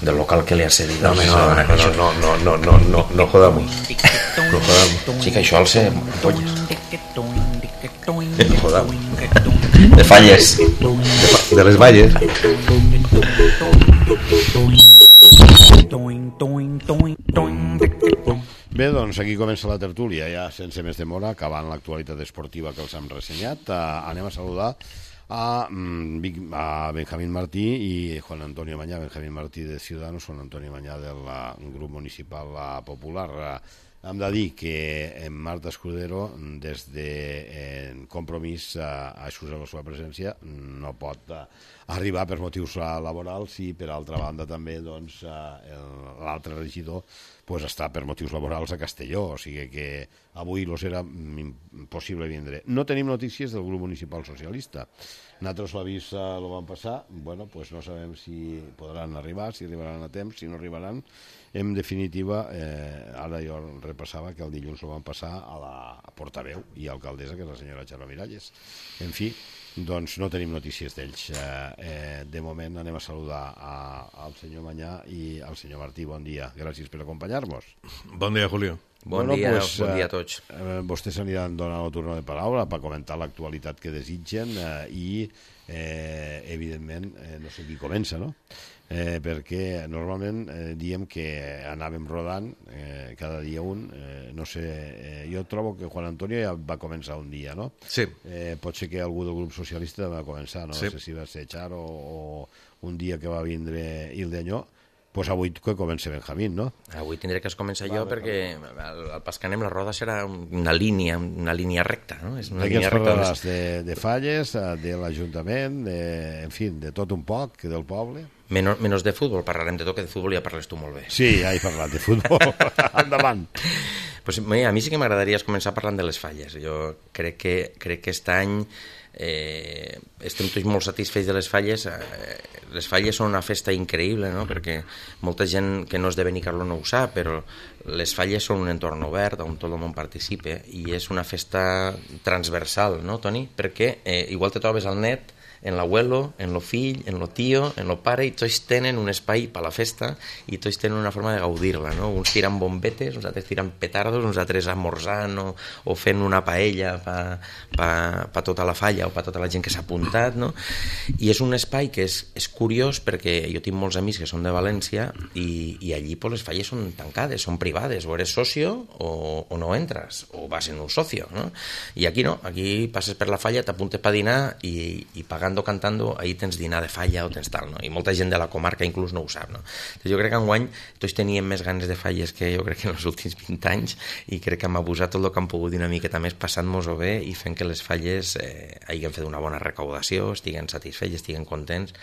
del local que le ha cedido. No jodamos. No jodamos. Sí, que això al ser polles. No jodamos. De falles. De les valles. Bé, doncs aquí comença la tertúlia, ja sense més demora, acabant l'actualitat esportiva que els hem ressenyat. Anem a saludar a Benjamín Martí i Juan Antonio Mañá. Benjamín Martí de Ciudadanos, Juan Antonio Mañá del grup municipal popular. Hem de dir que Marta Escudero, des de Compromís, a excusar la seva presència, no pot arribar per motius laborals i, per altra banda, també l'altre regidor està per motius laborals a Castelló, o sigui que avui era impossible vindre. No tenim notícies del grup municipal socialista. Nosaltres l'avís lo vam passar, bueno, pues no sabem si podran arribar, si arribaran a temps, si no arribaran. En definitiva, ara jo repassava que el dilluns lo van passar a la portaveu i alcaldessa, que és la senyora Xarra Miralles. En fi, doncs no tenim notícies d'ells. De moment anem a saludar al senyor Mañá i al senyor Martí. Bon dia, gràcies per acompanyar-nos. Bon dia, Julio. Bon dia a tots. Vostès aniran donant el torn de paraula per comentar l'actualitat que desitgen i, evidentment, no sé qui comença, no? Perquè normalment diem que anàvem rodant cada dia un, no sé, jo trobo que Juan Antonio ja va començar un dia, no? Sí. Pot ser que algú del grup socialista va començar, no? Sí. No sé si va ser Charo o un dia que va vindre Ildeñó. Pues avui que comença Benjamín, no? Avui tindré que començar jo perquè al pas que anem la roda serà una línia recta, no? És una de què ens línia recta. parlaràs? De falles, de l'Ajuntament, en fi, de tot un poc, del poble? Menos de futbol, parlarem de tot, que de futbol ja parles tu molt bé. Sí, ja he parlat de futbol. Endavant. Pues, a mi sí que m'agradaria començar parlant de les falles. Jo crec que aquest any estem tots molt satisfets de les falles. Les falles són una festa increïble, no? Perquè molta gent que no és de Benicarló no ho sap, però les falles són un entorn obert on tot el món participa i és una festa transversal, no, Toni? Perquè igual te trobes al net en l'abuelo, en lo fill, en lo tio, en lo pare, i tots tenen un espai per la festa i tots tenen una forma de gaudir-la, no? Uns tiren bombetes, uns altres tiren petardos, uns altres esmorzant o fent una paella per tota la falla o per tota la gent que s'ha apuntat, no? I és un espai que és curiós perquè jo tinc molts amics que són de València i allí pues, les falles són tancades, són privades, o eres socio o no entres, o vas en un socio, no? I aquí no, aquí passes per la falla, t'apuntes per dinar i pagant cantando, ahí tens dinar de falla o tens tal, no? I molta gent de la comarca inclús no ho sap, no? Entonces, jo crec que enguany tots teníem més ganes de falles que jo crec que en els últims 20 anys i crec que hem abusat tot el que hem pogut una miqueta més passant-nos-ho bé i fent que les falles hagin fet una bona recaudació, estiguen satisfets, estiguen contents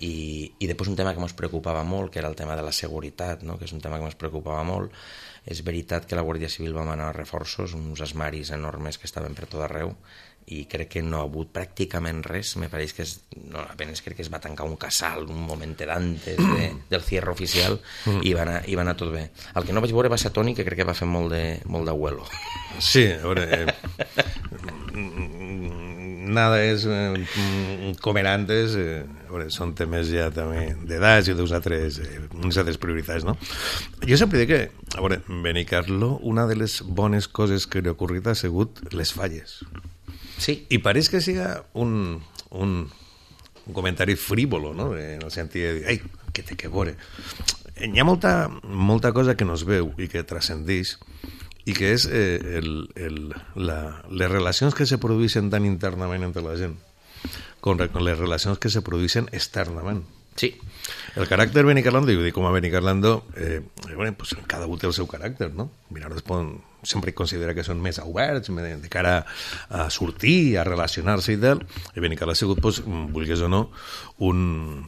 i després un tema que ens preocupava molt, que era el tema de la seguretat, no? Que és un tema que ens preocupava molt. És veritat que la Guàrdia Civil va manar reforços, uns esmaris enormes que estaven per tot arreu i crec que no ha hagut pràcticament res. Me pareix que apenas crec que es va tancar un casal un moment d'antes del cierre oficial i va anar tot bé. El que no vaig veure va ser Toni, que crec que va fer molt d'abuelo. Sí, a veure, nada és com era antes, són temes ja també d'edats i d'uns altres prioritats, no? Jo sempre dic que, a veure, Benicarló, una de les bones coses que li ha ocorrit ha sigut les falles. Sí. I pareix que siga un comentari frívolo, no? En el sentit de dir, ai, que té que veure. Hi ha molta cosa que no es veu i que transcendeix i que és les relacions que se produeixen tan internament entre la gent com les relacions que se produeixen externament. Sí. El caràcter benicarlando, jo dic com a benicarlando, pues cada un té el seu caràcter, no? Mirardes sempre considera que són més oberts de cara a sortir, a relacionar-se i tal, i Benicarló ha sigut, pues, vulguis o no,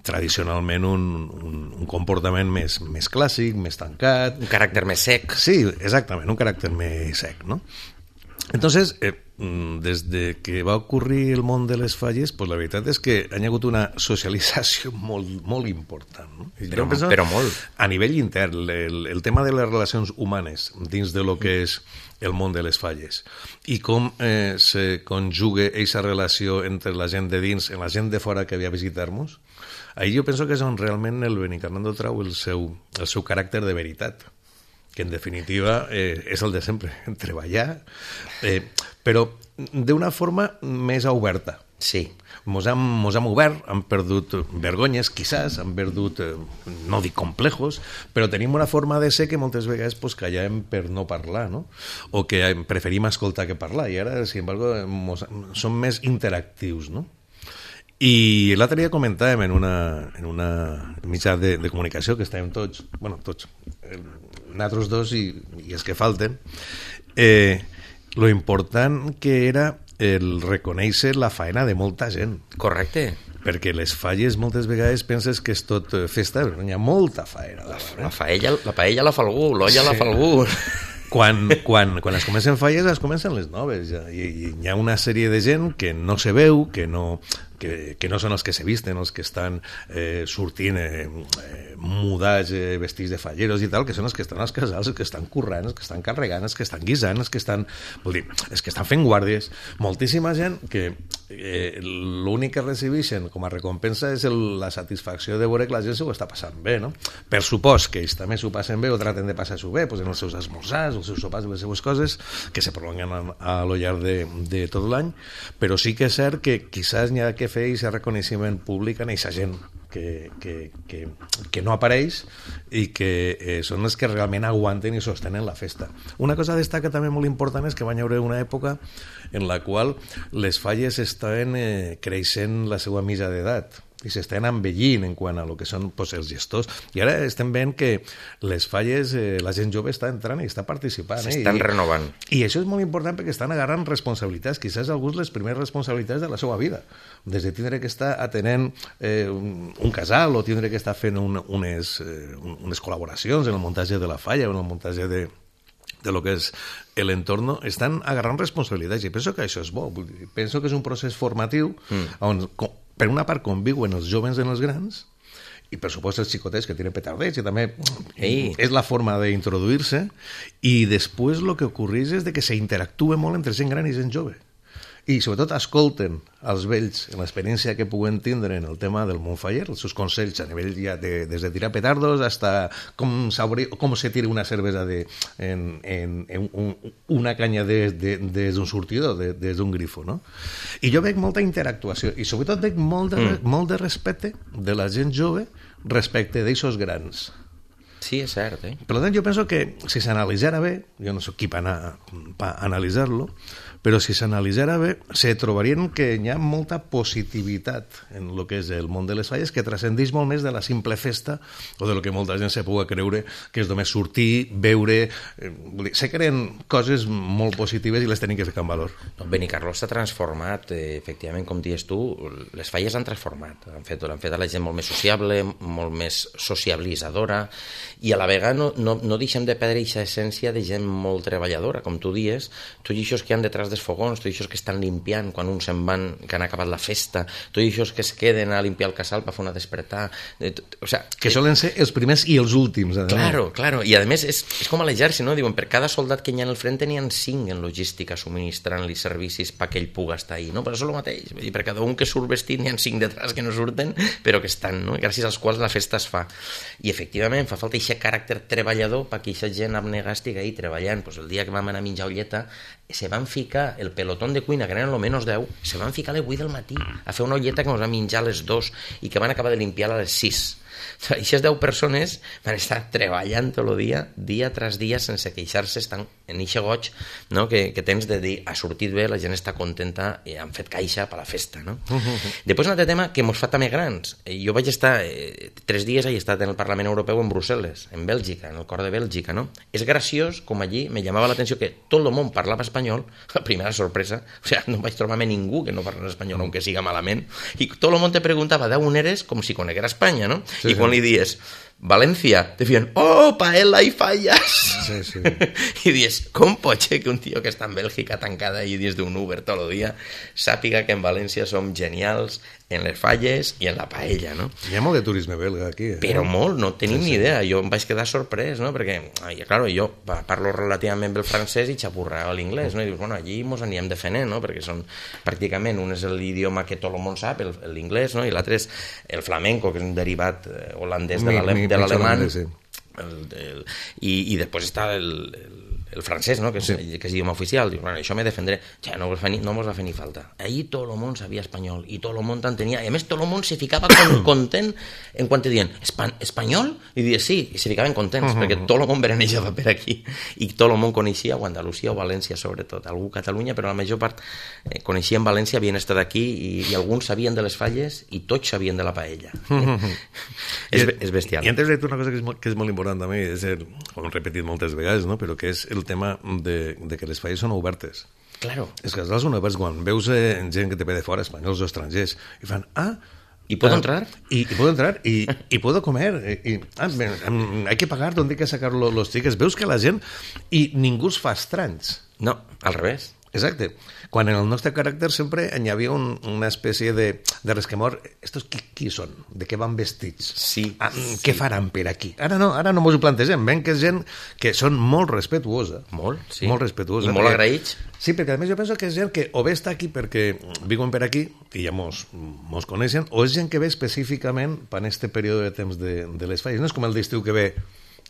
tradicionalment un comportament més clàssic, més tancat. Un caràcter més sec. Sí, exactament, un caràcter més sec, no? Entonces, des de que va ocórrer el món de les falles, pues la veritat és que hi ha hagut una socialització molt important. No? Però molt. A nivell intern, el tema de les relacions humanes dins de lo que és el món de les falles i com se conjuga aquesta relació entre la gent de dins i la gent de fora que ve a visitar-nos, ahir jo penso que és on realment el Benicarló trau el seu caràcter de veritat, que en definitiva és el de sempre, treballar, però d'una forma més oberta. Sí. Mos hem obert, hem perdut vergonyes, quizás, hem perdut, no dic complejos, però tenim una forma de ser que moltes vegades pues, callem per no parlar, no? O que preferim escoltar que parlar, i ara, sin embargo, som més interactius, no? I l'altre dia comentàvem en una mitjà de comunicació que estàvem tots, nosaltres dos i els que falten, lo important que era el reconèixer la faena de molta gent. Correcte. Perquè les falles moltes vegades penses que és tot festa, però hi ha molta faena. La paella la fa algú, l'olla la fa algú. Quan es comencen falles, es comencen les noves. Ja. I hi ha una sèrie de gent que no se veu, que no són els que se visten, els que estan sortint mudats, vestits de falleros i tal, que són els que estan als casals, els que estan currant, els que estan carregant, els que estan guisant, els que estan fent guàrdies. Moltíssima gent que l'únic que recibeixen com a recompensa és la satisfacció de veure que la gent s'ho està passant bé, no? Per supost que ells també s'ho passen bé o traten de passar-s'ho bé, doncs en els seus esmorzars, els seus sopars, les seves coses, que se prolonguen a lo llarg de tot l'any, però sí que és cert que quizás n'hi ha que fer aquest reconeixement públic a aquesta gent que no apareix i que són els que realment aguanten i sostenen la festa. Una cosa a destacar també molt important és que va haver una època en la qual les falles estaven creixent la seva mitja d'edat i s'estan envellint en quant a lo que són pues, els gestors. I ara estem veient que les falles, la gent jove està entrant i està participant. S'estan renovant. I això és molt important perquè estan agarrant responsabilitats, quizás alguns les primeres responsabilitats de la seva vida. Des de tindre que estar atenent un casal o tindre que estar fent unes col·laboracions en el muntatge de la falla o en el muntatge de lo que és l'entorn, estan agarrant responsabilitats i penso que això és bo. Penso que és un procés formatiu on per una part conviuen els joves en els grans i per supost els xicotets que tenen petardets i també és la forma d'introduir-se i després el que ocorreix és que s'interactua molt entre gent gran i gent jove i sobretot escolten els vells en l'experiència que puguen tindre en el tema del món faller, els seus consells a nivell ja des de tirar petardos hasta com se tira una cervesa en una canya des d'un sortidor, des d'un grifo, no? I jo veig molta interactuació i sobretot veig molt de respecte de la gent jove respecte d'aixos grans. Sí, és cert, Per tant, jo penso que si s'analitzara bé, jo no soc qui per analitzar-lo, però si s'analitzara bé, se trobarien que hi ha molta positivitat en el que és el món de les falles que transcendeix molt més de la simple festa o de lo que molta gent se pugui creure que és només sortir, beure... Se creen coses molt positives i les tenim que ficar en valor. Benicarló s'ha transformat, efectivament, com dius tu, les falles han transformat. Han fet a la gent molt més sociable, molt més sociabilitzadora i a la vegada no deixem de perdre aquesta essència de gent molt treballadora, com tu dius, tots aquests que han detrás dels fogons, tots aquests que estan limpiant quan uns se'n van, que han acabat la festa, tots aquests que es queden a limpiar el casal per fer una despertar, que solen ser els primers i els últims. Claro, i a més és com a l'exèrcit, no? Diuen, per cada soldat que hi ha en el front n'hi ha 5 en logística subministrant-li servicis perquè ell pugui estar ahí, no? Però això és el mateix, vull dir, per cada un que surt vestit n'hi ha 5 detrás que no surten, però que estan, no? Gràcies als quals la festa es fa. I efectivament fa falta aquest caràcter treballador perquè aquesta gent abnegada estigui ahí treballant. Pues el dia que vam anar a menjar olleta se van ficar el pelotón de cuina, que eren almenys 10, se van ficar a les 8 del matí a fer una olleta que ens van menjar a les 2 i que van acabar de limpiar a les 6. Aquestes 10 persones van estar treballant tot el dia tras dia, sense queixar-se, estan en aquest goig, no? que tens de dir, ha sortit bé, la gent està contenta i han fet caixa per la festa. No? Després un altre tema que mos fa també grans. Jo vaig estar 3 dies, he estat en el Parlament Europeu en Brussel·les, en Bèlgica, en el cor de Bèlgica. No? És graciós com allí me llamava l'atenció que tot el món parlava espanyol, la primera sorpresa, no vaig trobar-me ningú que no parla espanyol, aunque siga malament, i tot el món te preguntava d'on eres, com si coneguera Espanya, no? Sí, i quan li dies València, te feien, oh, paella i falles. Sí, sí. I dius, com pot ser que un tio que està en Bèlgica tancada i dins d'un Uber tot el dia sàpiga que en València som genials en les falles i en la paella, no? Hi ha molt de turisme belga aquí. Però molt, no tenim ni idea. Jo em vaig quedar sorprès, no? Perquè, claro, jo parlo relativament bé el francès i xapurrava l'inglès, no? I dius, bueno, allí mos anirem defenent, no? Perquè són pràcticament, un és l'idioma que tot el món sap, l'inglès, no? I l'altre és el flamenco, que és un derivat holandès de l'alemany. Sí. I després està el francès, no? que és idioma oficial. Dius, bueno, això me defendré. Ja, no mos va fer ni falta. Ahir tot el món sabia espanyol i tot el món t'entenia. I a més tot el món se ficava content en quan te diuen espanyol? I dius sí, i se ficaven contents perquè tot el món veranejava per aquí i tot el món coneixia o Andalusia o València sobretot. Algú Catalunya, però la major part coneixien València, havien estat aquí i alguns sabien de les falles i tots sabien de la paella. És bestial. I antes de dir una cosa que és molt important també, és com he repetit moltes vegades, no? Però que és el tema de que les falles són obertes. Claro. És que són obertes quan veus gent que te ve de fora, espanyols o estrangers, i fan, ¿Y puedo entrar? Y puedo entrar y puedo comer. Hay que pagar, ¿dónde hay que sacar los tickets? Veus que la gent... I ningú es fa estranys. No, al revés. Exacte. Quan en el nostre caràcter sempre hi havia una espècie de resquemor. Estos qui són? De què van vestits? Sí. Què faran per aquí? Ara no mos ho plantegem. Ven que és gent que són molt respetuosa. Molt, sí. Molt respetuosa. I molt agraïts. Sí, perquè a més jo penso que és gent que o bé està aquí perquè viuen per aquí i ja mos coneixen, o és gent que ve específicament per aquest període de temps de les falles. No és com el d'estiu que ve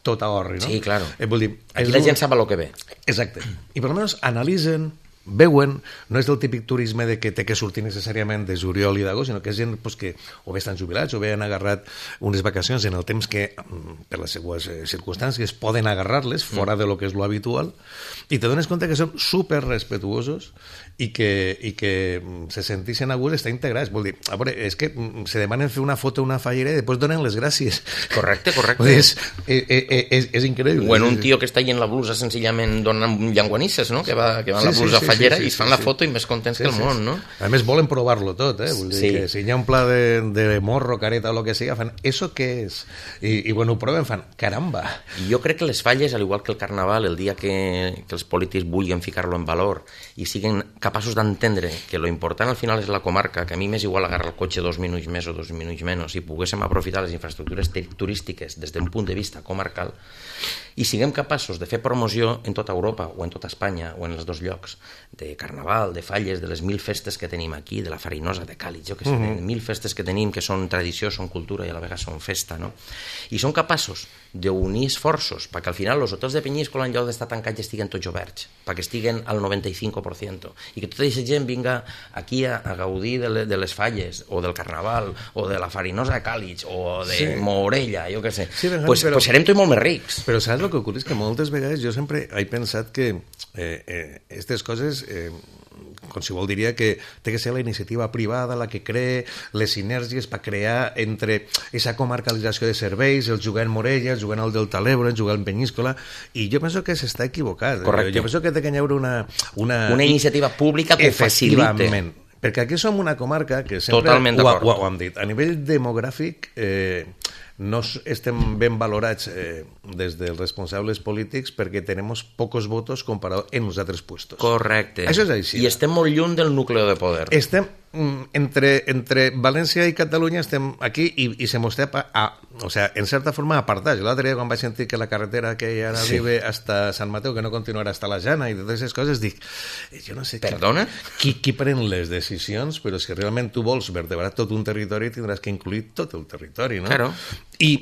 tot a orri, no? Sí, claro. Vull dir, aquí la gent sap el que ve. Exacte. I per almenys analitzen, veuen, no és del típic turisme de que té que sortir necessàriament de juliol i d'agost, sinó que és gent pues, que o bé estan jubilats o bé han agarrat unes vacacions en el temps que, per les seues circumstàncies, poden agarrar-les fora de lo que és lo habitual, i te dones compte que són super respetuosos i que se sentixen a gust estar integrats. Vol dir, a veure, és que se demanen fer una foto a una fallera i després donen les gràcies. Correcte. És increïble. O en un tio que està allà en la blusa senzillament donant llanguanisses, no? Que va en la blusa fallera i es fan la foto i més contents que el món, no? A més volen provar-lo tot, Vull dir que si hi ha un pla de morro, careta o lo que sigui, fan, ¿eso qué es? I bueno, ho proven, fan, caramba. I jo crec que les falles, al igual que el carnaval, el dia que els polítics vulguin ficar-lo en valor i siguin capaços d'entendre que lo important al final és la comarca, que a mi m'és igual agarrar el cotxe 2 minuts més o 2 minuts menys, i poguéssim aprofitar les infraestructures turístiques des d'un punt de vista comarcal, i siguem capaços de fer promoció en tota Europa o en tota Espanya o en els dos llocs, de carnaval, de falles, de les 1000 festes que tenim aquí, de la farinosa, de Càlig, jo que sé, de 1000 festes que tenim que són tradició, són cultura i a la vegada són festa, no? I són capaços d'unir esforços perquè al final els hotels de Penyíscola en lloc d'estar tancats estiguen tots oberts, perquè estiguen al 95% i que tota aquesta gent vinga aquí a gaudir de les falles o del carnaval o de la farinosa de Càlig o de Morella, jo que sé, pues serem tots molt més rics. Però saps el que ocorre? És que moltes vegades jo sempre he pensat que aquestes coses qualsevol diria que té que ser la iniciativa privada la que cree les sinergies per crear entre aquesta comarcalització de serveis, el jugar en Morella, el jugar al Delta de l'Ebre, el jugar en Penyíscola, i jo penso que s'està equivocat. Correcte. Jo penso que té que hi haure una iniciativa pública que ho facilite. Perquè aquí som una comarca que sempre ho hem dit. A nivell demogràfic no estem ben valorats des dels responsables polítics perquè tenim pocs votos comparat en els altres puestos. Correcte. Això és així. I estem molt lluny del nucli de poder. Estem entre València i Catalunya estem aquí i se mos té o sea, en certa forma apartats. L'altre dia quan vaig sentir que la carretera que ara vive hasta Sant Mateu, que no continuarà hasta la Jana i totes aquestes coses, dic, jo no sé qui pren les decisions, però si realment tu vols vertebrar tot un territori tindràs que incluir tot el territori, no? Claro. I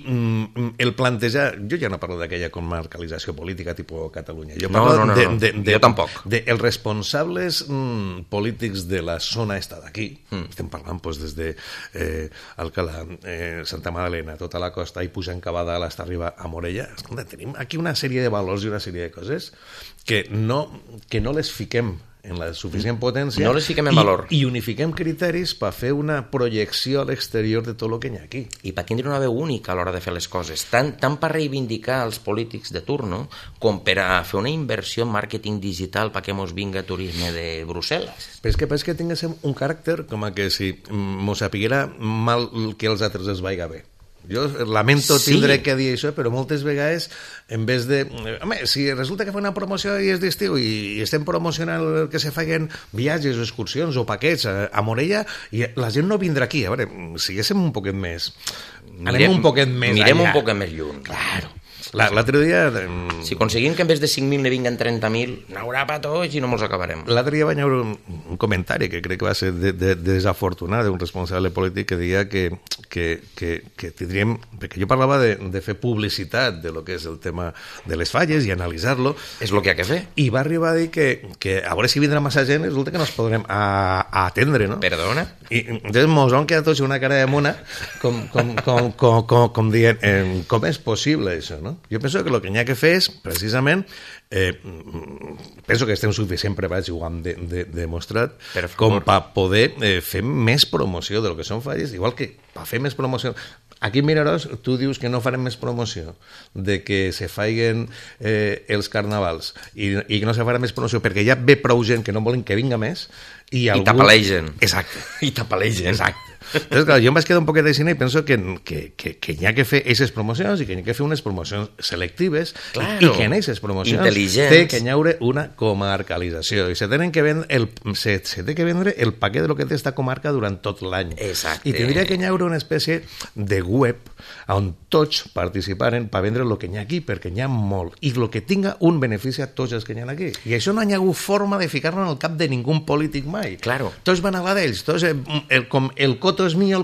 el plantejar, jo ja no parlo d'aquella comarcalització política tipus Catalunya, jo parlo jo tampoc. Els responsables polítics de la zona esta d'aquí, estem parlant des de Alcalà, Santa Magdalena, tota la costa i pujant cap a dalt fins a arribar a Morella. Escolta, tenim aquí una sèrie de valors i una sèrie de coses que no les fiquem en la suficient potència, no les fiquem en valor i unifiquem criteris per fer una projecció a l'exterior de tot el que hi ha aquí. I per tindre una veu única a l'hora de fer les coses, tant per reivindicar els polítics de turno com per a fer una inversió en màrqueting digital perquè mos vinga turisme de Brussel·les. Però és que tinguéssim un caràcter com a que si mos sapiguera mal que els altres es vaiga bé. Jo lamento tindre que dir això, però moltes vegades, en vez de... Home, si resulta que fa una promoció i és d'estiu i estem promocionant que se facin viatges o excursions o paquets a Morella, i la gent no vindrà aquí. A veure, siguéssim un poquet més... Anem un poquet més allà. Mirem un poquet més lluny. Claro. L'altre dia... Si aconseguim que en vez de 5.000 ne vinguen 30.000, n'haurà pa tots i no mos acabarem. L'altre dia vaig veure un comentari que crec que va ser desafortunat d'un responsable polític que deia que tindríem... Perquè jo parlava de fer publicitat de lo que és el tema de les falles i analitzar-lo. És el que ha que fer. I va arribar a dir que a veure si vindrà massa gent, resulta que no es podrem atendre, no? Perdona? I entonces mos han quedat tots una cara de mona com dient com és possible això, no? Jo penso que el que n'hi ha que fer és, precisament, penso que estem suficient preparats i ho hem demostrat com per poder fer més promoció del que són falles, igual que per fer més promoció. Aquí, Miraròs, tu dius que no farem més promoció de que se faiguen els carnavals i que no se farà més promoció perquè ja ve prou gent que no volen que vinga més i t'apalegen. Exacte. I t'apalegen. Exacte. Entonces, clar, jo em vaig quedar un poquet de cine i penso que hi ha que fer aquestes promocions i que hi ha que fer unes promocions selectives i que en aquestes promocions té que hi haure una comarcalització i se té que vendre el paquet de lo que té esta comarca durant tot l'any. Exacte. I tindria que hi haure una espècie de web on tots participaren per vendre el que hi ha aquí, perquè n'hi ha molt i el que tinga un benefici a tots els que hi ha aquí. I això no hi ha hagut forma de ficar-lo en el cap de ningú polític mai. Claro. Tots van a la d'ells, tots com el coto és mío,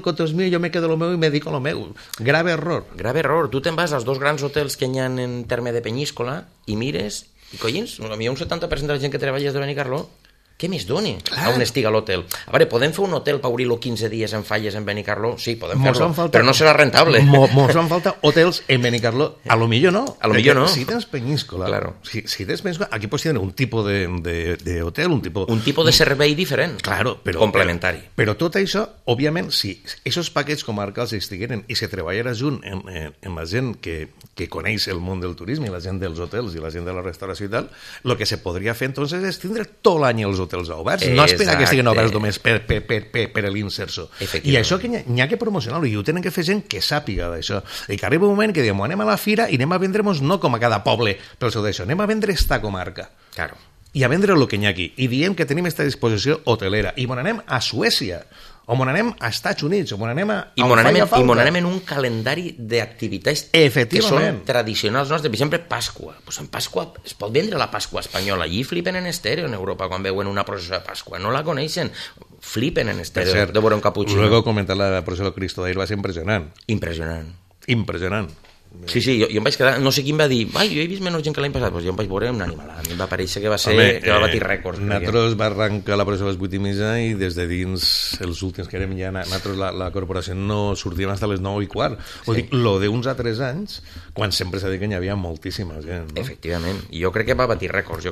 jo me quedo lo meu i me dedico a lo meu. Grave error. Grave error. Tu te'n vas als dos grans hotels que hi ha en terme de Penyíscola i mires, i collins, a mi un 70% de la gent que treballa és de Benicarló, què més doni a on estiga l'hotel? A veure, podem fer un hotel per obrir-lo 15 dies en falles en Benicarló? Sí, podem fer-lo, però no serà rentable. Mos fan falta hotels en Benicarló. A lo millor no. A lo millor no. Si tens Penyíscola, claro. Si tens Penyíscola, aquí pots tenir un tipus de hotel, un tipus de servei diferent. Claro, però complementari. Però tot això, òbviament, si aquests paquets comarcals estigueren i se treballara junt amb la gent que coneix el món del turisme, i la gent dels hotels i la gent de la restauració i tal, el que se podria fer entonces és tindre tot l'any els hotels oberts, no esperar que estiguin oberts només per l'inserso. I això que n'hi ha que promocionar-lo, i ho tenen que fer gent que sàpiga d'això, i que arriba un moment que diem, anem a la fira i anem a vendre-nos no com a cada poble pel seu d'això, anem a vendre esta comarca. Claro. I a vendre el que n'hi ha aquí. I diem que tenim esta disposició hotelera. I mon anem a Suècia, o mon anem a Estats Units, o mon anem a... I mon anem en un calendari d'activitats que són tradicionals nostres. Per exemple, Pasqua. Pues en Pasqua es pot vendre la Pasqua espanyola. Allí flipen en estèreo en Europa quan veuen una processó de Pasqua. No la coneixen. Flipen en estèreo de veure un caputxino. Luego comentar la processó de Cristo d'ahir va ser impressionant. Impressionant. Sí, jo em vaig quedar, no sé quin va dir, jo he vist menys gent que l'any passat, doncs jo em vaig veure un animal, a mi em va parèixer que va batir rècords. Nosaltres va arrencar la processó a les 8:30 i des de dins els últims que érem ja, nosaltres la corporació no sortíem fins a les 9:15. Vull dir, lo d'uns altres anys, quan sempre s'ha dit que hi havia moltíssima gent, no? Efectivament, i jo crec que va batir rècords,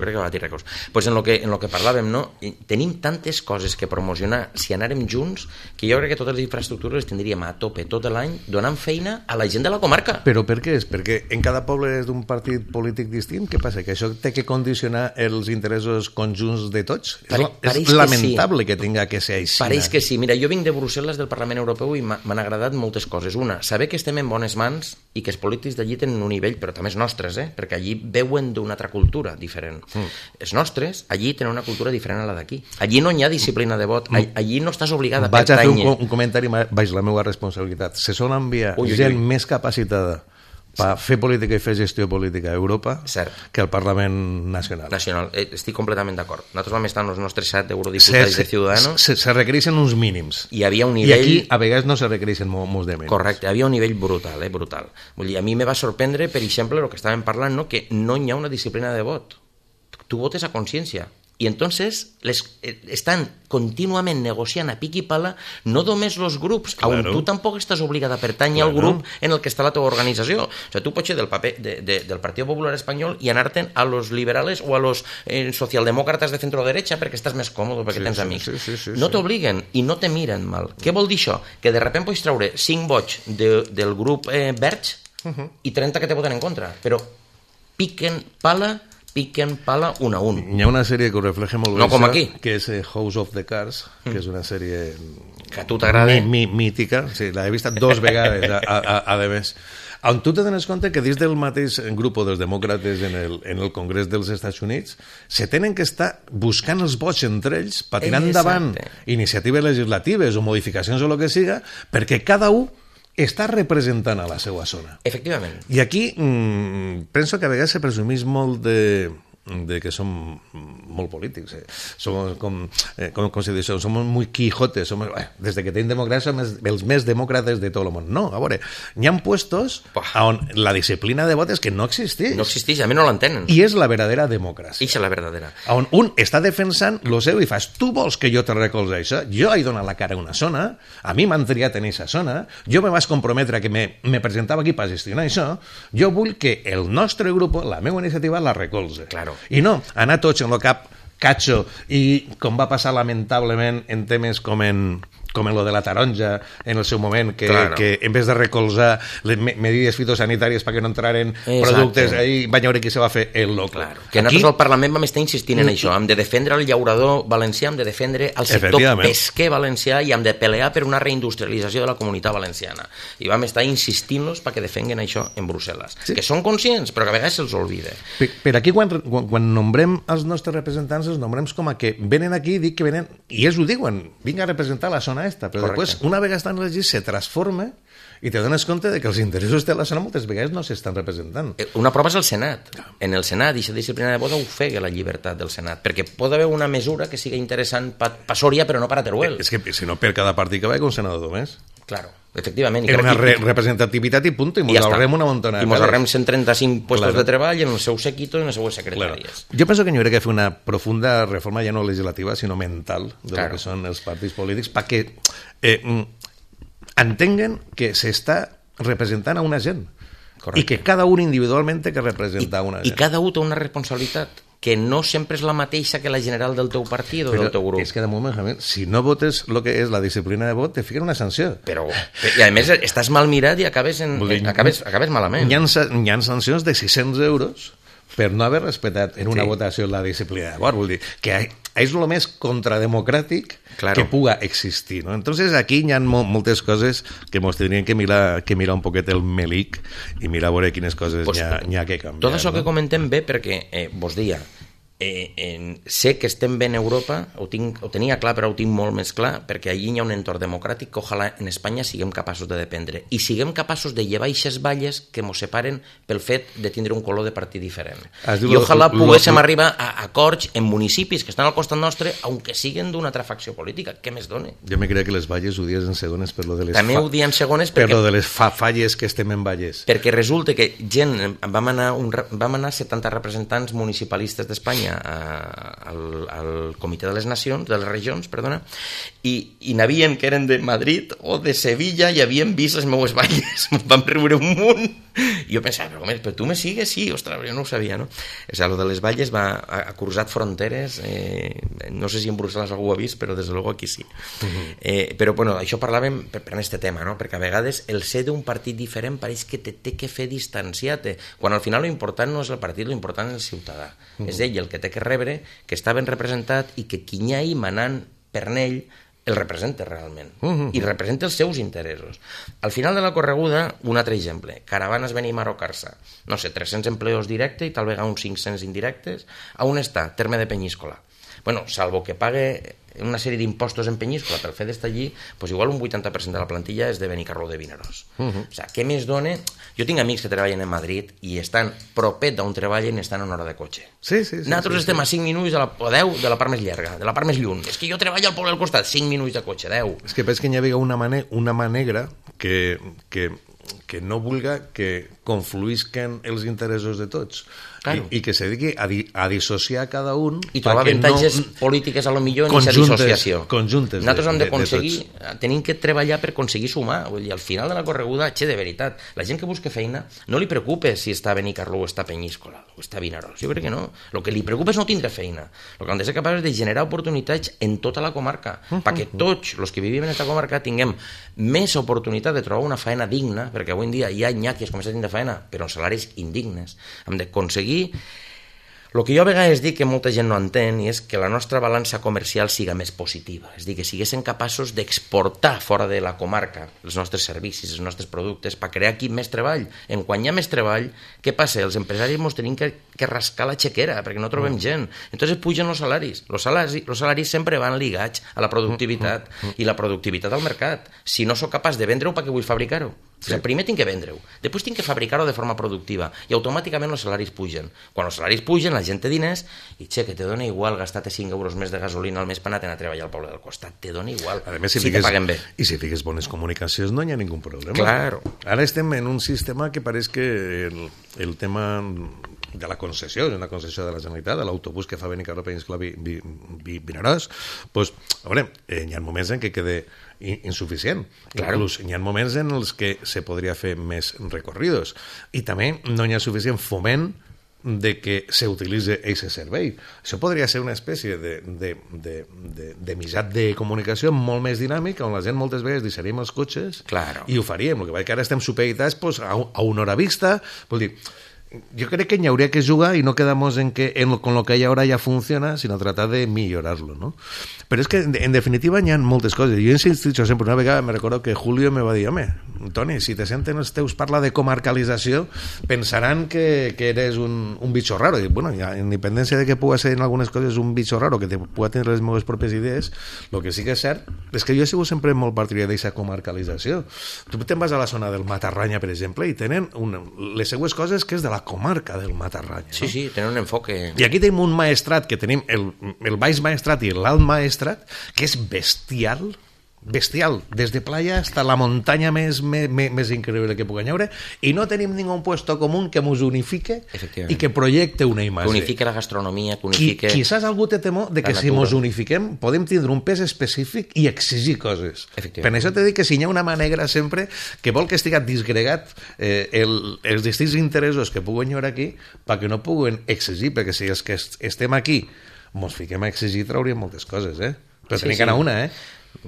Pues en lo que parlàvem, no? Tenim tantes coses que promocionar si anàrem junts, que jo crec que totes les infraestructures les tindríem a tope tot l'any, donant feina a la gent de la comarca. Però per què és? Perquè en cada poble és d'un partit polític distint? Què passa? Que això té que condicionar els interessos conjunts de tots? És lamentable que tinga que ser així. Pareix que sí. Mira, jo vinc de Brussel·les, del Parlament Europeu, i m'han agradat moltes coses. Una, saber que estem en bones mans i que els polítics d'allí tenen un nivell, però també els nostres, perquè allí veuen d'una altra cultura diferent. Els nostres, allí tenen una cultura diferent a la d'aquí. Allí no hi ha disciplina de vot. Allí no estàs obligat a pertànyer. Vaig a fer un comentari baix la meva responsabilitat. Se sol enviar gent més capacitada per fer política i fer gestió política a Europa que al Parlament Nacional. Estic completament d'acord. Nosaltres vam estar en els nostres 7 eurodiputats de Ciudadanos. Se requereixen uns mínims. I havia un nivell... I aquí, a vegades, no se requereixen molts de mínims. Correcte, havia un nivell brutal, brutal. Vull dir, a mi me va sorprendre, per exemple, el que estàvem parlant, no? Que no hi ha una disciplina de vot. Tu votes a consciència. I entonces estan contínuament negociant a pic i pala no només els grups, on tu tampoc estàs obligat a pertànyer al grup en el que està la teva organització. O sigui, tu pots ser del paper del Partit Popular Espanyol i anar-te'n a los liberales o a los socialdemòcrates de centro-derecha perquè estàs més còmode, perquè tens amics. No t'obliguen i no te miren mal. Què vol dir això? Que de repente pots treure 5 vots del grup Verge i 30 que te voten en contra. Però piquen pala piquen pala 1-1. Hi ha una sèrie que ho refleja molt bé, No com aquí. que és House of the Cards, que és una sèrie Que a tu t'agrada. mítica, sí, l'he vist 2 vegades, a més. On tu te dones compte que dins del mateix grup dels demòcrates en el Congrés dels Estats Units se tenen que estar buscant els vots entre ells per tirar endavant iniciatives legislatives o modificacions o el que siga, perquè cada un està representant a la seva zona. Efectivament. I aquí penso que a vegades se presumís molt de que som molt polítics. Som com se diu això, som muy quijotes. Des que tenim democràcia som els més demòcrates de tot el món. No, a veure, hi ha puestos on la disciplina de vot és que no existeix. No existeix, a mi no l'entenen. I és la verdadera democràcia. Ixa és la verdadera. On un està defensant lo seu i fas, tu vols que jo te recolze això? Jo he donat la cara a una zona, a mi m'han triat en aquesta zona, jo me vas comprometre que me presentava aquí per gestionar això, jo vull que el nostre grup, la meva iniciativa, la recolze. Claro. I no, anar tots en el cap catxo i com va passar lamentablement en temes com en lo de la taronja en el seu moment, que en vez de recolzar les medides fitosanitàries perquè no entraren productes ahí, va veure qui se va fer el loco. Claro. Que nosaltres al Parlament vam estar insistint en això, hem de defendre el llaurador valencià, hem de defendre el sector pesquer valencià i hem de pelear per una reindustrialització de la comunitat valenciana. I vam estar insistint-los perquè defenguen això en Brussel·les. Sí. Que són conscients, però que a vegades se'ls oblida. Per aquí, quan nombrem els nostres representants, els nombrem com a que venen aquí i dic que venen, i ells ho diuen, vinc a representar la zona esta, però després, una vegada estan elegits, se transforma i te dones compte de que els interessos de la zona moltes vegades no s'estan representant. Una prova és el Senat. En el Senat, aquesta disciplina de vot ofega la llibertat del Senat, perquè pot haver una mesura que sigui interessant per Sòria, però no per a Teruel. És que, si no, per cada partit que va hi ha un senador més. Claro, efectivament. És una representativitat i punt, i mos ahorrem una montona. I mos ahorrem 135 puestos de treball en el seu séquito i en les seues secretàries. Jo penso que hi hauria que fer una profunda reforma, ja no legislativa, sinó mental, de lo que són els partits polítics, perquè entenguen que s'està representant a una gent. Correcte. I que cada un individualment té que representar una gent. I cada un té una responsabilitat que no sempre és la mateixa que la general del teu partit o del teu grup. És que de moment, si no votes el que és la disciplina de vot, te fiquen una sanció. I a més estàs mal mirat i acabes malament. Hi ha sancions de 600 euros per no haver respectat en una votació la disciplina de vot. Vull dir que és el més contrademocràtic que puga existir, ¿no? Entonces aquí hi ha moltes coses que ens tindrien que mirar un poquet el melic i mirar a veure quines coses hi ha que canviar. Tot això que comentem bé perquè vos dia sé que estem bé en Europa, ho tenia clar però ho tinc molt més clar, perquè allí hi ha un entorn democràtic que ojalà en Espanya siguem capaços de dependre i siguem capaços de llevar aquestes valles que ens separen pel fet de tindre un color de partit diferent. I ojalà poguéssim arribar a acords en municipis que estan al costat nostre, aunque siguen d'una altra facció política. Què més dona? Jo me creia que les valles ho dies en segones per lo de les també ho diem segones per lo de les falles que estem en valles. Perquè resulta que vam anar 70 representants municipalistes d'Espanya al Comitè de les Nacions, de les regions, perdona, i n'havien que eren de Madrid o de Sevilla i havien vist les meues valles. Vam riure un munt. I jo pensava, però tu me sigues? Sí, ostres, jo no ho sabia, no? O sigui, lo de les valles ha cruzat fronteres, no sé si en Brussel·les algú ho ha vist, però des de luego aquí sí. Però, bueno, això parlàvem per aquest tema, no? Perquè a vegades el ser d'un partit diferent pareix que te té que fer distanciar-te, quan al final lo important no és el partit, lo important és el ciutadà. És ell el que té que rebre, que està ben representat i que qui hi ha ahí manant per ell el representa realment i representa els seus interessos. Al final de la correguda, un altre exemple, Caravanes Benimar o Carça, no sé, 300 empleos directes i tal vegada uns 500 indirectes. A on està? Terme de Penyíscola. Bueno, salvo que pague una sèrie d'impostos en Penyíscola pel fet d'estar allí, pues igual un 80% de la plantilla és de Benicarló de Vinaròs. O sigui, què més dona? Jo tinc amics que treballen en Madrid i estan propet d'on treballen i estan a una hora de cotxe. Nosaltres estem a 5 minuts o 10 de la part més llarga, de la part més lluny. És que jo treballo al poble al costat, 5 minuts de cotxe, 10. És que penso que hi havia una mà negra que no vulga que confluïsquen els interessos de tots. Claro. I que se dediqui a dissociar cada un i trobar avantatges polítiques a lo millor en aquesta dissociació. Nosaltres hem d'aconseguir, tenim que treballar per aconseguir sumar. Vull dir, al final de la correguda, de veritat, la gent que busca feina no li preocupa si està a Benicarló o està a Penyíscola o està a Vinaròs. Jo crec que no. El que li preocupa és no tindre feina. El que hem de ser capaços de generar oportunitats en tota la comarca, perquè tots els que vivim en aquesta comarca tinguem més oportunitat de trobar una feina digna, perquè avui en dia hi ha nyàquies com a tindre feina, però amb salaris indignes. Hem d'aconseguir El que jo a vegades dic que molta gent no entén i és que la nostra balança comercial siga més positiva, és a dir, que siguéssim capaços d'exportar fora de la comarca els nostres servicis, els nostres productes, per crear aquí més treball. En quan hi ha més treball, què passa? Els empresaris ens tenim que rascar la xequera perquè no trobem gent. Entonces pugen els salaris. Els salaris sempre van ligats a la productivitat i la productivitat al mercat. Si no sóc capaç de vendre-ho, per què vull fabricar-ho? O sigui, primer tinc que vendre-ho, després tinc que fabricar-ho de forma productiva i automàticament els salaris pugen. Quan els salaris pugen, la gent té diners i que te dona igual gastar-te 5 euros més de gasolina al mes per anar a treballar al poble del costat, te dona igual, a més, si te paguen bé. I si fiques bones comunicacions no hi ha ningú problema. Claro. Ara estem en un sistema que pareix que el tema de la concessió, és una concessió de la Generalitat, de l'autobús que fa Benicarló, Peníscola, Vinaròs, doncs, a veure, hi ha moments en què queda insuficient. Claro. Inclús hi ha moments en els que se podria fer més recorridos. I també no hi ha suficient foment de que s'utilitzi aquest servei. Això podria ser una espècie de mitjà de comunicació molt més dinàmic, on la gent moltes vegades deixaríem els cotxes i ho faríem. El que passa que ara estem supeditats a una hora vista, vol dir, yo creo que habría que jugar y no quedamos en que con lo que hay ahora ya funciona, sino tratar de millorarlo, ¿no? Pero es que en definitiva hi ha moltes coses. Jo he insistit sempre, una vegada me recordo que Julio me va dir, home, Toni, si te senten els teus parlar de comarcalització, pensaran que eres un bicho raro. I, bueno, ja, en independència de que pugui ser en algunes coses un bicho raro, que te pugui tenir les meves pròpies idees, el que sí que és cert és que jo he sigut sempre molt partidari d'aquesta comarcalització. Tu te'n vas a la zona del Matarranya, per exemple, i tenen les seues coses que és de la comarca del Matarranya. Sí, no? Sí, tenen un enfoque. I aquí tenim un maestrat, que tenim el baix maestrat i l'alt maestrat, que és bestial, des de playa hasta la muntanya més increïble que pugui haver, i no tenim ningú puesto comú que ens unifique i que projecte una imatge. Que unifique la gastronomia, que unifique... Quizás algú té temor de que si ens unifiquem podem tindre un pes específic i exigir coses. Per això t'he dit que si hi ha una mà negra sempre que vol que estigui disgregat els distints interessos que puguen haver aquí perquè no puguen exigir, perquè si els que estem aquí ens fiquem a exigir trauríem moltes coses, però tenim que anar una,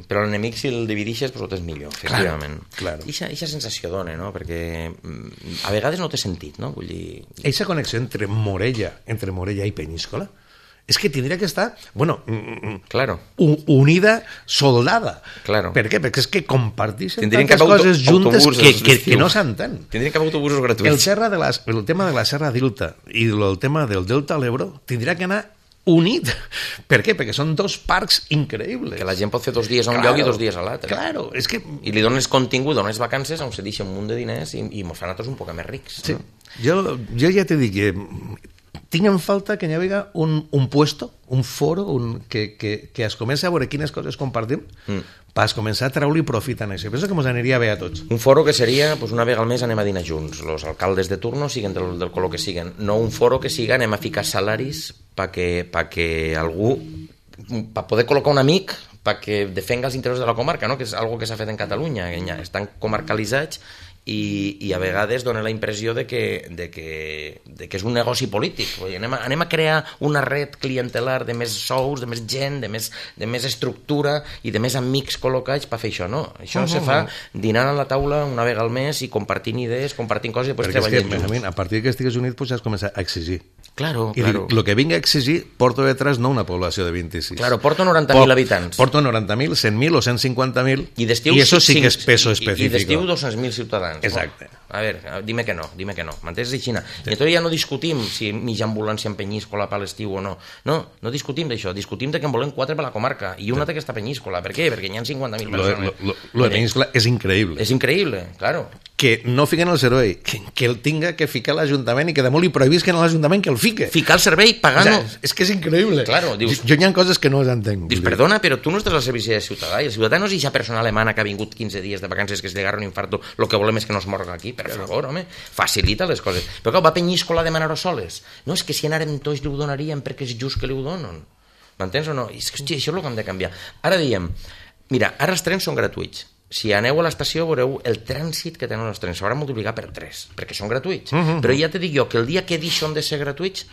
Però l'enemic, si el dividixes, pues és millor, efectivament. Claro. Eixa sensació dona, no? Perquè a vegades no té sentit, no? Vull dir... Eixa connexió entre Morella i Peníscola és que tindria que estar, bueno, claro, unida, soldada. Claro. Per què? Perquè és que comparteixen tantes coses juntes que no s'entén. Tindrien que haver autobusos gratuïts. El tema de la Serra d'Ilta i el tema del Delta de l'Ebro tindria que anar unit. Per què? Perquè són dos parcs increïbles. Que la gent pot fer 2 dies a un lloc i 2 dies a l'altre. Claro, és que... I li dones contingut, dones vacances on se deixa un munt de diners i ens fan a tots un poc més rics. Sí. No? Jo ja t'he dit que tinc en falta que hi hagi un puesto, un foro que es comenci a veure quines coses compartim per començar a treure-li profit en això. Penso que ens aniria bé a tots. Un foro que seria, pues, una vegada al mes anem a dinar junts, els alcaldes de turno siguen del color que siguen, no un foro que siga anem a ficar salaris perquè algú, per poder col·locar un amic perquè defenga els interessos de la comarca, no? Que és algo que s'ha fet en Catalunya, que ja estan comarcalitzats i a vegades dona la impressió de que és un negoci polític. Anem a crear una red clientelar de més sous, de més gent, de més estructura i de més amics col·locats per fer això. No, això se fa dinant a la taula una vegada al mes i compartint idees, compartint coses i després treballant junts. Perquè a partir que estigues unit pues, has començat a exigir. Claro. I el que vinc a exigir porto detrás no una població de 26. Claro, porto 90.000 habitants. Porto 90.000, 100.000 o 150.000 i eso sí que és peso específico. I d'estiu 200.000 ciutadans. Exacte. A ver, dime que no. M'entens de Xina? I entonces ja no discutim si mitja ambulància en Penyíscola per l'estiu o no. No discutim d'això. Discutim de que en volem 4 per la comarca i una té que està a Penyíscola. Per què? Perquè hi ha 50.000 persones. Lo de Penyíscola és increïble. És increïble, claro. Que no fiquen el servei, que el tinga que ficar l'Ajuntament i que damunt li prohibisquen a l'Ajuntament que el fique. Ficar el servei pagant-ho. O sea, és que és increïble. Claro, dius, jo hi ha coses que no les entenc. Dius, perdona, però tu no estàs al servici de ciutadà i el ciutadà no és eixa persona alemana que ha vingut 15 dies de vacances que es agarra un infarto, lo que volem és que no es morga aquí, per favor, home, facilita les coses. Però clar, va a Penyíscola a demanar-ho soles. No, és que si anàrem tots li ho donaríem perquè és just que li ho donen. M'entens o no? I és que, hòstia, això és el que hem de canviar. Ara diem, mira, ara els trens són gratuïts. Si aneu a l'estació veureu el trànsit que tenen els trens. S'haurà multiplicat per 3, perquè són gratuïts. Però ja te dic jo que el dia que deixen de ser gratuïts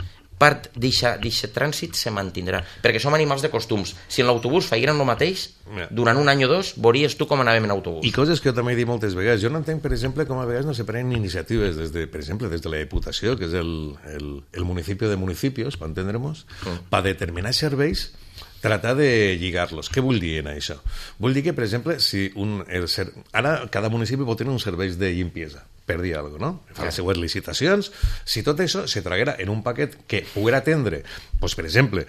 part d'aquest trànsit se mantindrà, perquè som animals de costums. Si en l'autobús feien el mateix, durant un any o dos, veuries tu com anàvem en autobús. I coses que jo també he dit moltes vegades. Jo no entenc, per exemple, com a vegades no se prenen iniciatives, per exemple, des de la Diputació, que és el municipi de municipios, per entendre'ns, per determinar serveis, tratar de lligar-los. Què vull dir en això? Vull dir que, per exemple, si ara cada municipi pot tenir uns serveis de limpiesa, per dir alguna cosa, no? Fa les seues licitacions. Si tot això se traguera en un paquet que poguera atendre, doncs, per exemple,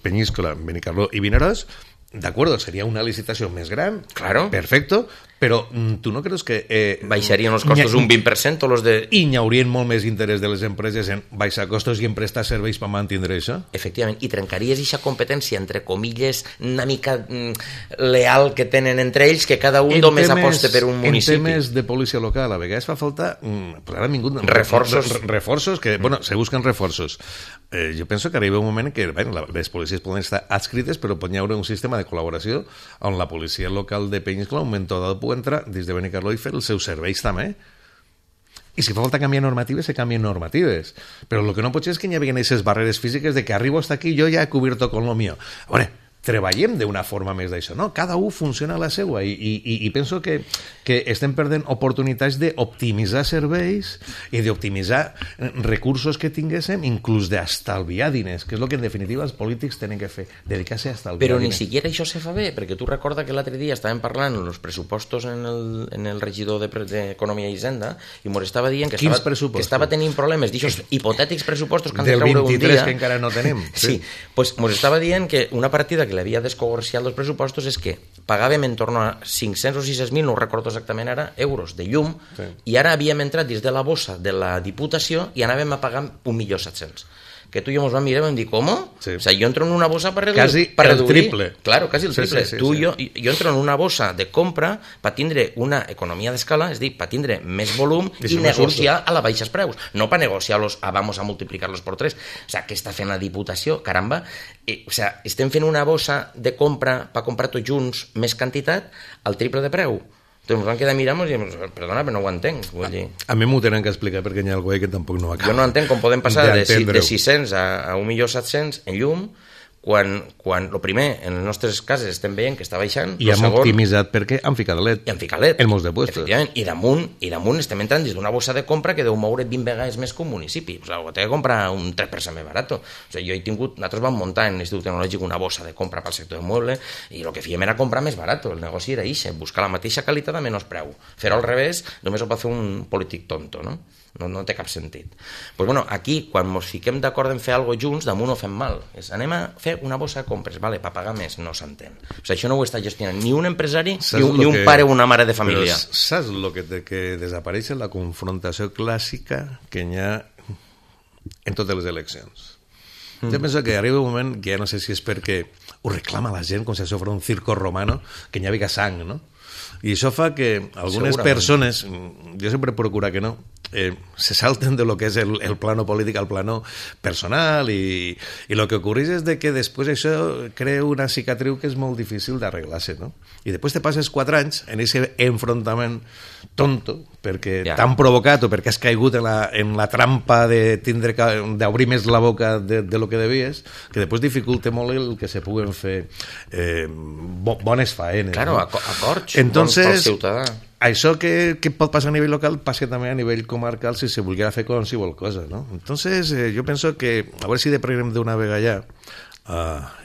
Peñíscola, Benicarló i Vinaròs, d'acord, seria una licitació més gran, claro, perfecto, però tu no creus que... baixarien els costos un 20% o los de... I hi haurien molt més interès de les empreses en baixar costos i en prestar serveis per mantenir això? Efectivament, i trencaries aquesta competència, entre comilles, una mica leal que tenen entre ells, que cada un només aposta per un municipi. En temes de policia local, a vegades fa falta... Pues ara han vingut... Reforços, que, bueno, se busquen reforços. Jo penso que arriba un moment que les policies poden estar adscrites, però pot haver un sistema de col·laboració on la policia local de Peñíscola, un moment dado, pugui entrar des de Benicarló i fer els seus serveis també. I si fa falta canviar normatives, se canvien normatives. Però el que no pot ser és que hi hagi aquestes barreres físiques de que arribo hasta aquí, jo ja he cubierto con lo mío. A veure, treballem d'una forma més d'això, no? Cada un funciona a la seva i penso que estem perdent oportunitats d'optimitzar serveis i d'optimitzar recursos que tinguéssim, inclús d'estalviar diners, que és el que en definitiva els polítics tenen que fer, dedicar-se a estalviar diners. Però ni siquiera això se fa bé, perquè tu recorda que l'altre dia estàvem parlant en els pressupostos en el regidor d'Economia i Hisenda i mos estava dient que estava tenint problemes d'aixòs hipotètics pressupostos que han de treure un dia. Del 23 que encara no tenim. Sí, pues mos estava dient que una partida que l'havia descogorciat els pressupostos és que pagàvem en torn a 500 o 600.000, no ho recordo exactament ara, euros de llum, i ara havíem entrat dins de la bossa de la Diputació i anàvem a pagar 1.700.000. Que tu i jo ens vam mirar i vam dir, ¿cómo? Sí. O sea, yo entro en una bolsa para reduir. Casi el triple. Claro, casi el triple. Sí, Jo entro en una bossa de compra per tindre una economia d'escala, és a dir, per tindre més volum i negociar a la baixes preus. No per negociar-los vamos a multiplicar-los por 3. O sea, què està fent la Diputació? Caramba. O sea, estem fent una bossa de compra per comprar tots junts més quantitat al triple de preu. Doncs ens vam quedar mirant i diem, perdona, però no ho entenc. Vull dir. A mi m'ho tenen que explicar perquè hi ha algú que tampoc no acaba. Jo no entenc com podem passar de 600 a 1.700.000 en llum quan el primer, en les nostres cases estem veient que està baixant. I hem optimitzat perquè han ficat LED. I han ficat LED. En molts de puestos. Efectivament. I damunt estem entrant dins d'una bossa de compra que deu moure 20 vegades més que un municipi. O sigui, ho té que comprar un 3% més barat. O sigui, jo he tingut, nosaltres vam muntar en l'Institut Tecnològic una bossa de compra pel sector de mueble i el que fèiem era comprar més barat. El negoci era ixe, buscar la mateixa qualitat a menys preu. Fer-ho al revés només ho pot fer un polític tonto, no? No té cap sentit. Pues bueno, aquí, quan ens fiquem d'acord en fer alguna cosa junts, damunt ho fem mal. Anem a fer una bossa de compres, vale, per pagar més, no s'entén. O sigui, això no ho està gestionant ni un empresari ni un pare o una mare de família. Però saps el que desapareix la confrontació clàssica que hi ha en totes les eleccions? Jo penso que arriba un moment que ja no sé si és perquè ho reclama la gent com si això fos un circo romano, que hi havia sang, no? I això fa que algunes persones, jo sempre procuro que no, se salten de lo que és el plano polític al plano personal i lo que ocorreix és de que després això crea una cicatriu que és molt difícil d'arreglar-se, no? I després te passes 4 anys en aquest enfrontament tonto perquè t'han provocat o perquè has caigut en la trampa d'obrir més la boca de lo que devies, que després dificulta molt el que se puguen fer bones faenes. Claro, acords Entonces, pel ciutadà. Això que pot passar a nivell local passa també a nivell comarcal si se volguera fer qualsevol cosa, no? Entonces, jo penso que a veure si deprenem d'una vegada ja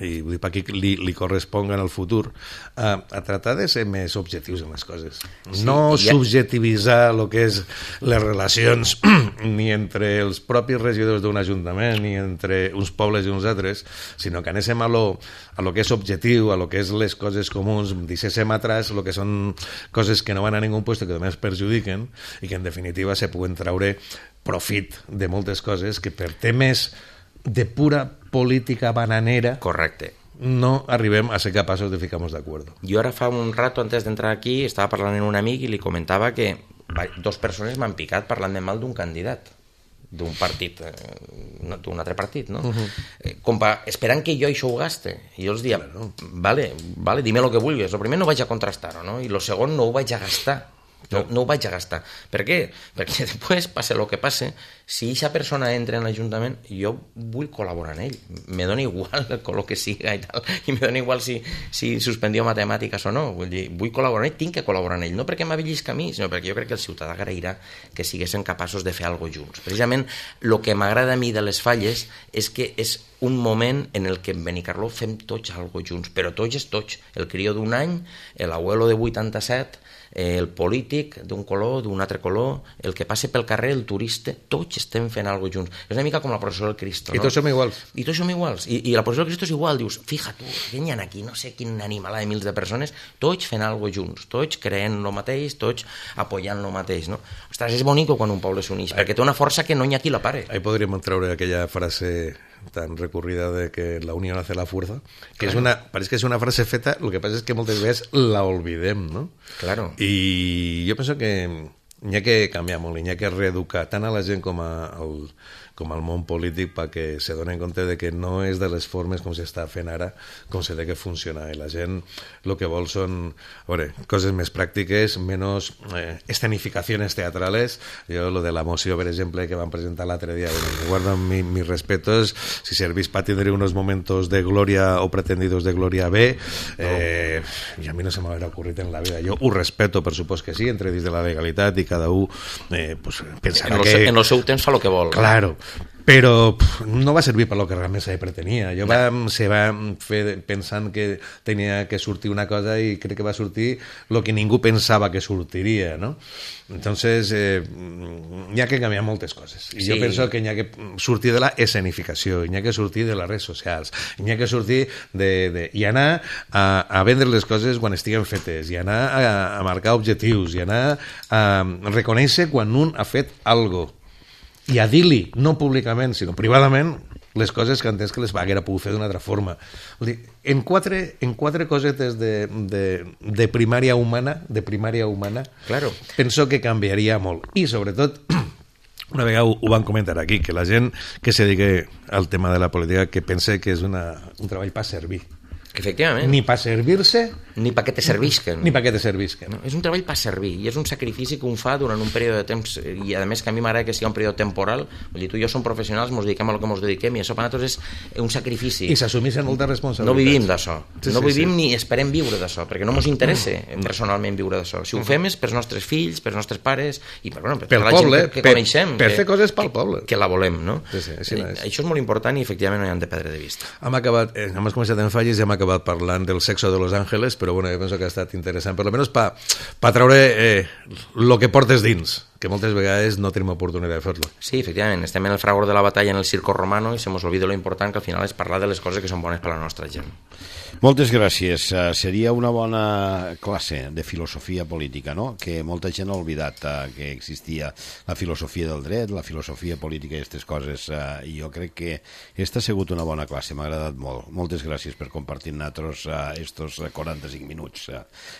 i vull dir, per aquí li corresponga en el futur a tratar de ser més objectius en les coses, no subjetivitzar el que és les relacions ni entre els propis regidors d'un ajuntament ni entre uns pobles i uns altres, sinó que anéssim a lo que és objectiu, a lo que és les coses comuns, deixéssim atrás el que són coses que no van a ningú puesto que només perjudiquen i que en definitiva se puguen traure profit de moltes coses que per temes de pura política bananera, correcte, no arribem a ser capaços de ficar-nos d'acord. Jo ara fa un rato, antes d'entrar aquí, estava parlant amb un amic i li comentava que 2 persones m'han picat parlant de mal d'un candidat d'un partit, d'un altre partit, no? Esperant que jo això ho gaste. I jo els dia, vale, dime lo que vulguis. Lo primer no vaig a contrastar-ho, no? I lo segon no ho vaig a gastar. No ho vaig a gastar. Per què? Perquè després, passe el que passe, si aquesta persona entra en l'Ajuntament, jo vull col·laborar en ell. Me dona igual el color que siga i tal, i me dona igual si suspendió matemàtiques o no. Vull dir, vull col·laborar en ell, tinc que col·laborar en ell, no perquè m'avellisca a mi, sinó perquè jo crec que el ciutadà agrairà que siguessin capaços de fer alguna cosa junts. Precisament, el que m'agrada a mi de les Falles és que és un moment en el que en Benicarló fem tots alguna cosa junts, però tots és tots. El crió d'un any, l'abuelo de 87, el polític d'un color, d'un altre color, el que passa pel carrer, el turista, tots estem fent alguna cosa junts. És una mica com la processó del Cristo, no? I tots som iguals. I tots som iguals. I la processó del Cristo és igual. Dius, fija tu, què hi ha aquí? No sé quin animal de mils de persones, tots fent alguna cosa junts, tots creent el mateix, tots apoyant el mateix, no? Ostres, és bonic quan un poble s'uneix, perquè té una força que no hi ha qui la pare. Ahí podríem treure aquella frase tan recurrida de que la unión hace la fuerza, que parece que es una frase feta, lo que pasa es que moltes veces la olvidem, ¿no? Claro. I jo penso que n'hi ha que canviar molt, n'hi ha que reeducar tant a la gent com al món polític perquè se donen compte de que no és de les formes com s'està fent ara com s'ha de que funciona, i la gent el que vol són coses més pràctiques, menys escenificaciones teatrales. Jo lo de la moció, per exemple, que van presentar l'altre dia, guardan mis respetos, si servís para tener unos momentos de gloria o pretendidos de gloria bé, i a mi no se m'haurà ocurrit en la vida. Jo ho respeto, per supost que sí, entre dins de la legalitat, i cada un pues, pensarà que... En el seu temps fa el que vol. Claro, però no va servir per lo que realment se pretenia. Se va fer pensant que tenia que sortir una cosa i crec que va sortir el que ningú pensava que sortiria, no? Entonces, hi ha que canviar moltes coses. I jo penso que hi ha que sortir de la escenificació, hi ha que sortir de les redes socials, hi ha que sortir i anar a vendre les coses quan estiguen fetes, i anar a marcar objectius, i anar a reconèixer quan un ha fet alguna cosa, i a dir-li, no públicament, sinó privadament, les coses que entens que les haguera pogut fer d'una altra forma. En quatre cosetes de primària humana, claro, penso que canviaria molt. I, sobretot, una vegada ho van comentar aquí, que la gent que se dedica al tema de la política que pense que és un treball per servir. Efectivament. Ni per servir-se... Ni perquè te servisquen. Ni perquè te servisquen. No, és un treball per servir, i és un sacrifici que un fa durant un període de temps, i a més que a mi m'agrada que sigui un període temporal. Vull dir, tu i jo som professionals, ens dediquem a lo que ens dediquem, i això per nosaltres és un sacrifici. I s'assumeixen moltes responsabilitats. No vivim d'això. No vivim ni esperem viure d'això, perquè no ens interessa personalment viure d'això. Si ho fem és pels nostres fills, pels nostres pares, i per la poble, gent que coneixem. Per fer coses pel poble. Que la volem, no? Això és molt important i efectivament no hi han de perdre de vista. Hem començat en Falles i hem acabat parlant del sexo de Los Ángeles, però bueno, jo penso que ha estat interessant, per almenys per treure el que portes dins, que moltes vegades no tenim oportunitat de fer-lo. Sí, efectivament, estem en el fragor de la batalla en el circo romano i se mos olvida lo important que al final és parlar de les coses que són bones per a la nostra gent. Moltes gràcies. Seria una bona classe de filosofia política, no? Que molta gent ha oblidat que existia la filosofia del dret, la filosofia política i aquestes coses, i jo crec que aquesta ha sigut una bona classe, m'ha agradat molt. Moltes gràcies per compartir amb nosaltres estos 45 minuts.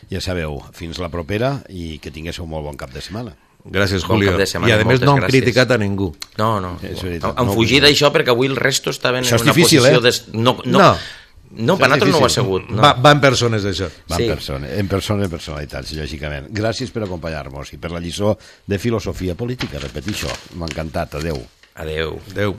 Ja sabeu, fins la propera i que tinguéssiu molt bon cap de setmana. Gràcies, Julio. I a més no hem criticat a ningú. No. Hem fugit d'això perquè avui el resto estaven en una posició... No, per nosaltres no ho ha sigut. Va en persones, això. Va en personalitats, lògicament. Gràcies per acompanyar-nos i per la lliçó de filosofia política. Repetixo, m'ha encantat. Adeu. Adeu.